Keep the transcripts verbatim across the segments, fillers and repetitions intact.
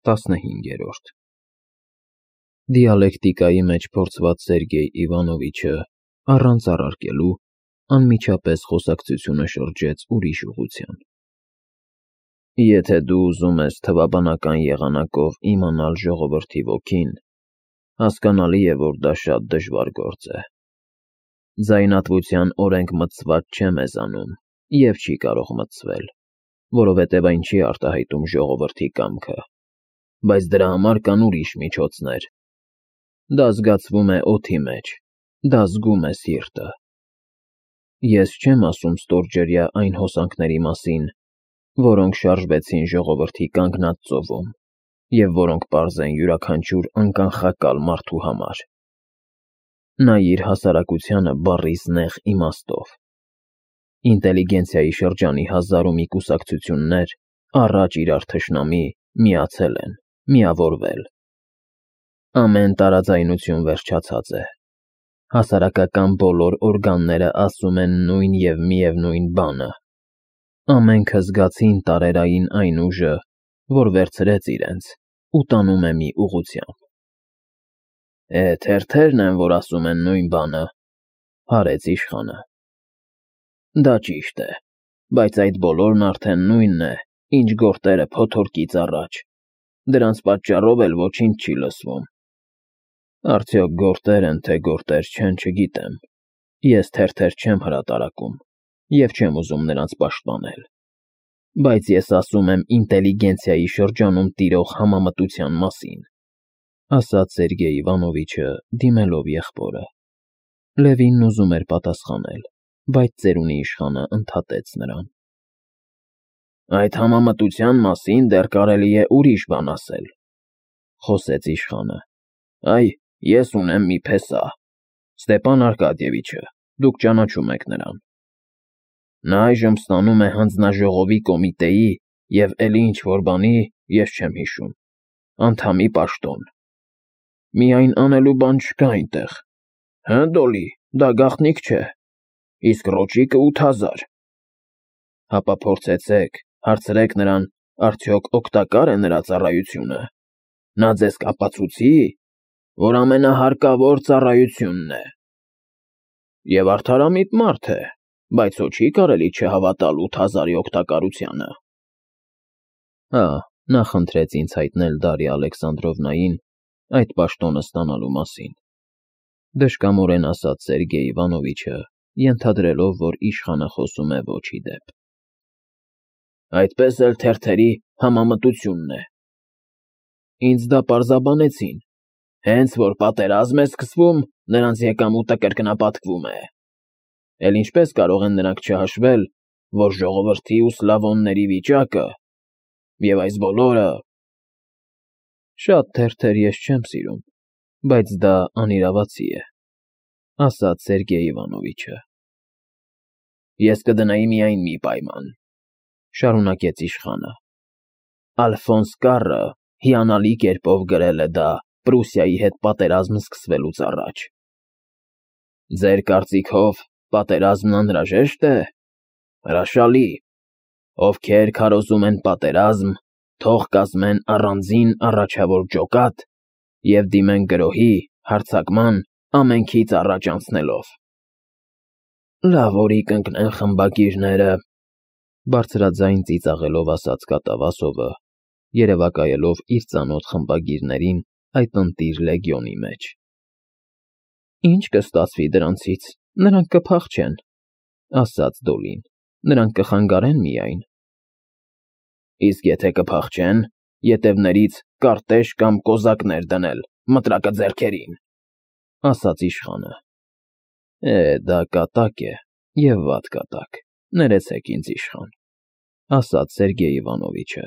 տասնհինգերորդ Դիալեկտիկայի մեջ փորձված Սերգեյ Իվանովիչը, առանց առարկելու, անմիջապես խոսակցությունը շրջեց ուրիշ ուղղության. Եթե դու ուզում ես թվաբանական եղանակով իմանալ ժողովրդի ոգին, հասկանալի է, որ դա շատ դժվար գործ է. Ձայնատվության օրենք մտցված չէ մեզանում և չի կարող մտցվել, որովհետև այն չի արտահայտում ժողովրդի կամքը, բայց դրա համար կան ուրիշ միջոցներ. դա զգացվում է օդի մեջ, դա զգում է սիրտը: Ես չեմ ասում ստորջրյա այն հոսանքների մասին, որոնք շարժվեցին ժողովրդի կանգնած ծովում և որոնք պարզ են յուրաքանչյուր անկանխակալ մարդու համար: Նայիր հասարակությանը բառիս նեղ իմաստով: Ինտելիգենցիայի շրջանի հազար ու մի կուսակցություններ, առաջ իրար թշնամի, միացել են, միավորվել: Ամեն տարաձայնություն վերջացած է: Հասարակական բոլոր օրգանները ասում են նույն և միևնույն բանը: Ամենքը զգացին տարերային այն ուժը, որ վերցրեց իրենց ու տանում է մի ուղղությամբ: Է, թերթերն են, որ ասում են նույն բանը, հարեց իշխանը: Դա ճիշտ է, բայց այդ բոլորն արդեն նույնն է, ինչ գորտերը փոթորկից առաջ, դրանց պատճառով էլ ոչինչ չի լսվում: Արդյոք գորտեր են, թե գորտեր չեն, չգիտեմ, ես թերթեր չեմ հրատարակում և չեմ ուզում նրանց պաշտպանել, բայց ես ասում եմ ինտելիգենցիայի շրջանում տիրող համամտության մասին, ասաց Սերգեյ Իվանովիչը, դիմելով եղբորը: Լևինն ուզում էր պատասխանել, բայց ծերունի իշխանը ընդհատեց նրան: Այդ համամտության մասին դեռ կարելի է ուրիշ բան ասել, խոսեց իշխանը: Այ, ես ունեմ մի փեսա, Ստեպան Արկադիևիչը, դուք ճանաչում եք նրան: Նա այժմ ստանում է հանձնաժողովի կոմիտեի և էլի ինչ-որ բանի, ես չեմ հիշում, անդամի պաշտոն: Միայն անելու բան չկա այնտեղ: Հը, Դոլլի, դա գաղտնիք չէ: Իսկ ռոճիկը ութ հազար: Հապա փորձեցեք, հարցրեք նրան, արդյոք օգտակա՞ր է նրա ծառայությունը: Նա ձեզ կապացուցի՞, որ ամենահարկավոր ծառայությունն է: Եվ արդարամիտ մարդ է, բայց հո չի կարելի չհավատալ ութ հազարի օգտակարությանը: Հա, նա խնդրեց ինձ հայտնել Դարիա Ալեքսանդրովնային այդ պաշտոնը ստանալու մասին, դժկամորեն ասաց Սերգեյ Իվանովիչը, ենթադրելով, որ իշխանը խոսում է ոչի դեպ: Այդպես էլ թերթերի համամտությունն է: Ինձ դա պարզաբանեցին, հենց որ պատերազմ է սկսվում, նրանց եկամուտը կրկնապատկվում է: Էլ ինչպես կարող են նրանք չհաշվել, որ ժողովրդի ու Սլավոնների վիճակը… և այս բոլորը… Շատ թերթեր ես չեմ սիրում, բայց դա անիրավացի է, ասաց Սերգեյ Իվանովիչը: Ես կդնեի միայն մի պայման, շարունակեց իշխանը: Ալֆոնս Կառը հիանալի կերպով գրել է դա Պրուսիայի հետ պատերազմ սկսվելուց առաջ: Ձեր կարծիքով պատերազմն անհրաժե՞շտ է: Հրաշալի: Ովքեր քարոզում են պատերազմ, թող կազմեն առանձին առաջավոր ջոկատ և դիմեն գրոհի, հարձակման, ամենքից առաջ անցնելով: Լավ օրի կընկնեն խմբագիրները, բարձրաձայն ծիծաղելով ասաց կատավասովը, երևակայելով իր ծանոթ խմբագիրներին այդ ընտիր լեգիոնի մեջ: Ինչ կստացվի դրանցից, նրանք կփախչեն, ասաց Դոլլին, նրանք կխանգարեն միայն: Իսկ եթե կփախչեն, ետևներից կարտեշ կամ կոզակներ դնել մտրակը ձեռքերին, ասաց իշխանը: Է, դա կատակ է և վատ կատակ, ներեցեք ինձ իշխան, ասաց Սերգեյ Իվանովիչը: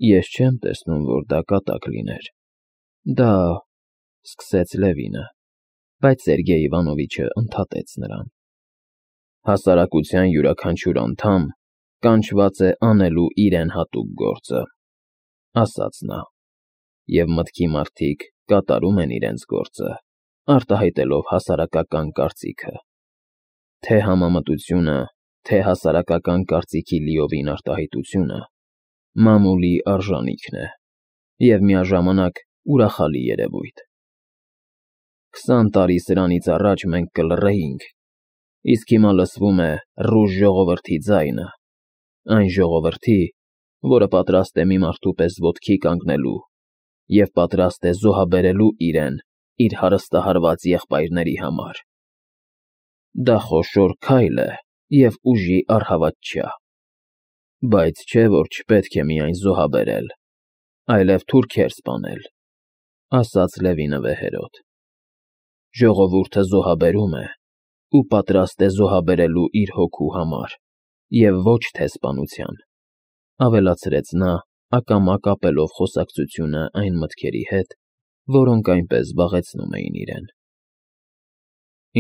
Ես չեմ տեսնում, որ դա կատակ լիներ: Դա… սկսեց Լևինը, բայց Սերգեյ Իվանովիչը ընդհատեց նրան: Հասարակության յուրաքանչյուր անդամ կանչված է անելու իրեն հատուկ գործը, ասաց նա, և մտքի մարդիկ կատարում են իրենց գործը, արտահայտելով հասարակական կարծիքը: Թե համամտությունը, թե հասարակական կարծիքի լիովին արտահայտությունը մամուլի արժանիքն է և միաժամանակ ուրախալի երևույթ։ Քսան տարի սրանից առաջ մենք կլռեինք, իսկ հիմա լսվում է ռուժ ժողովրդի ձայնը, այն ժողովրդի, որը պատրաստ է մի մարդու պես ոտքի կանգնելու և պատրաստ է զոհաբերելու իրեն իր հարստահարված եղբայրների համար։ Դա խոշոր քայլ է և ուժի առհավատչյա, բայց չէ, որ չպետք է միայն զոհաբերել, այլև թուրքեր սպանել, ասաց Լևինը վեհերաց։ Ժողովուրդը զոհաբերում է ու պատրաստ է զոհաբերելու իր հոգու համար և ոչ թե սպանության, ավելացրեց նա, ակամա կապելով խոսակցությունը այն մտքերի հետ, որոնք այնպես զբաղեցնում էին իրեն։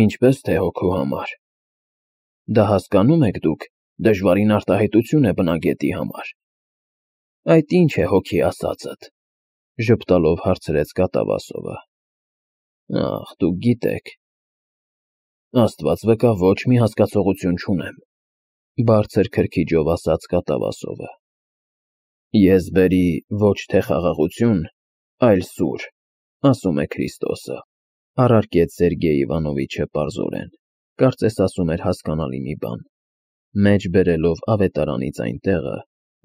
Ինչպես թե հոգու համար։ Դա հասկանո՞ւմ եք դուք, դժվարին արտահայտություն է բնագետի համար։ Այդ ի՞նչ է հոգի ասածդ, ժպտալով հարցրեց կատավասովը։ Ախ, դուք գիտեք։ Աստված վկա, ոչ մի հասկացողություն չունեմ, բարձր քրքիջով ասաց կատավասովը։ Ես բերի ոչ թե խաղաղություն, այլ սուր, ասում է Քրիստոսը, առարկեց Սերգեյ Իվանովիչը պարզորեն, կարծես ասում էր հասկանալի մի բան, մեջ բերելով ավետարանից այն տեղը,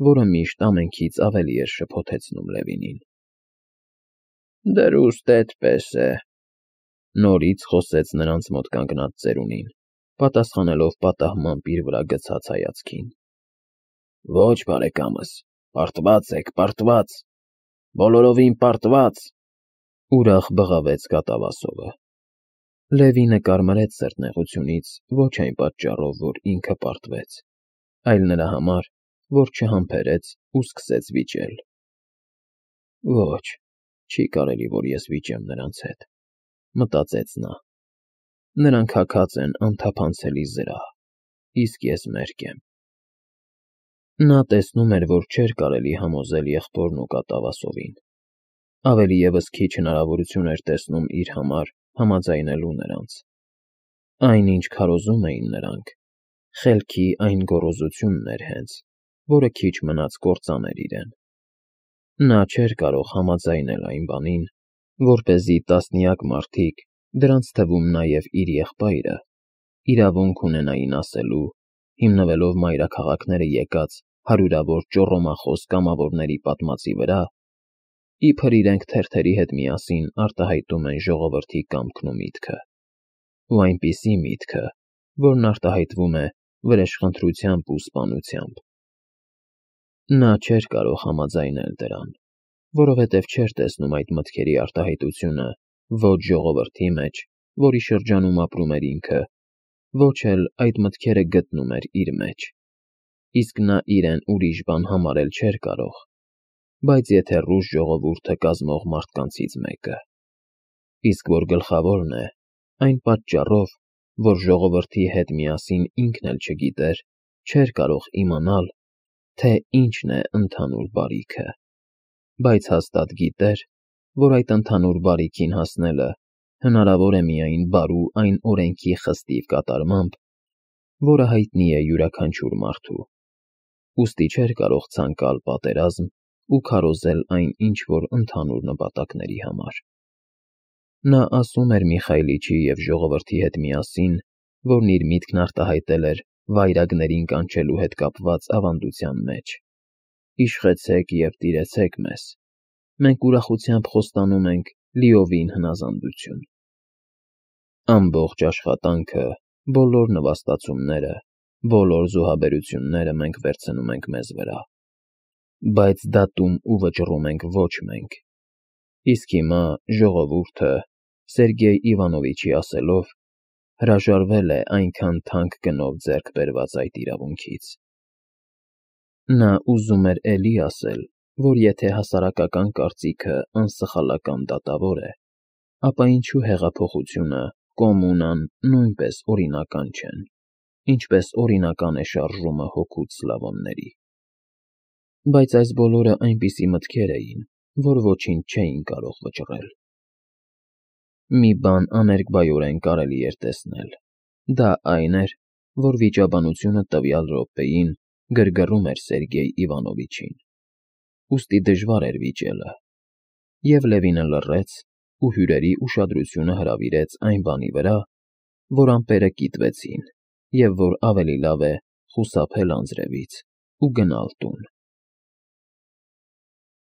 որը միշտ ամենքից ավելի էր շփոթեցնում Լևինին։ Դրուստ էդպես է, նորից խոսեց նրանց մոտ կանգնած ծերունին, պատասխանելով պատահմամբ իր վրա գցած հայացքին։ Ոչ, բարեկամս, պարտված եք, պարտված, բոլորովին պարտված, ուրախ բղավեց կատավասովը։ Լևինը կարմրեց սրտնեղությունից ոչ այն պատճառով, որ ինքը պարտվեց, այլ նրա համար, որ չհամբերեց ու սկսեց վիճել։ Ոչ, չի կարելի, որ ես վիճեմ նրանց հետ, մտածեց նա։ Նրանք հագած են անթափանցելի զրահ, իսկ ես մերկ եմ։ Նա տեսնում էր, որ չէր կարելի համոզել եղբորն ու կատավասովին, ավելի ևս քիչ հնարավորություն էր տեսնում իր համար համաձայնելու նրանց։ Այնինչ քարոզում էին նրանք, խելքի այն գոռոզությունն էր հենց, որը քիչ մնաց կործաներ իրեն։ Նա չէր կարող համաձայնել այն բանին, որպեսզի տասնյակ մարդիկ, դրանց թվում նաև իր եղբայրը, իրավունք ունենային ասելու, հիմնվելով մայրաքաղաքները եկած հարյուրավոր ճոռոմախոս կամավորների պատմածի վրա, իբր իրենք թերթերի հետ միասին արտահայտում են ժողովրդի կամքն ու միտքը, ու այնպիսի միտքը, որն արտահայտվում է վրեժխնդրությամբ ու սպանությամբ։ Նա չէր կարող համաձայնել դրան, որովհետև չէր տեսնում այդ մտքերի արտահայտությունը ոչ ժողովրդի մեջ, որի շրջանում ապրում էր ինքը, ոչ էլ այդ մտքերը գտնում էր իր մեջ, իսկ նա իրեն ուրիշ բան համարել չէր կարող, բայց եթե ռուս ժողովուրդը կազմող մարդկանցից մեկը, իսկ որ գլխավորն է, այն պատճառով, որ ժողովրդի հետ միասին ինքն էլ չգիտեր, չէր կարող իմանալ, թե ինչն է ընդհանուր բարիքը, բայց հաստատ գիտեր, որ այդ ընդհանուր բարիքին հասնելը հնարավոր է միայն բարու այն օրենքի խստիվ կատարմամբ, որը հայտնի է յուրաքանչյուր մարդու, ուստի չէր կարող ցանկալ պատերազմ ու քարոզել այն ինչ-որ ընդհանուր նպատակների համար։ Նա ասում էր Միխայիլիչի և ժողովրդի հետ միասին, որն իր միտքն արտահայտել էր վայրագներին կանչելու հետ կապված ավանդության մեջ. «Իշխեցեք և տիրեցեք մեզ, մենք ուրախությամբ խոստանում ենք լիովին հնազանդություն»։ Ամբողջ աշխատանքը, բոլոր նվաստացումները, բոլոր զոհաբերությունները մենք վերցնում ենք մեզ վրա, բայց դատում ու վճռում ենք ոչ մենք։ Իսկ հիմա ժողովուրդը, Սերգեյ Իվանովիչի ասելով, հրաժարվել է այնքան թանկ գնով ձեռք բերված այդ իրավունքից։ Նա ուզում էր էլի ասել, որ եթե հասարակական կարծիքը անսխալական դատավոր է, ապա ինչու հեղափոխությունը, կոմունան նույնպես օրինական չեն, ինչպես օրինական է շարժումը հօգուտ սլավոնների։ Բայց այս բոլորը այնպիսի մտքեր էին, որ ոչինչ չէին կարող վճռել։ Մի բան աներկբայորեն կարելի էր տեսնել, դա այն էր, որ վիճաբանությունը տվյալ րոպեին գրգռում էր Սերգեյ Իվանովիչին, ուստի դժվար էր վիճելը, և Լևինը լռեց ու հյուրերի ուշադրությունը հրավիրեց այն բանի վրա, որ ամպերը կիտվեցին և որ ավելի լավ է խուսափել անձրևից ու գնալ տուն։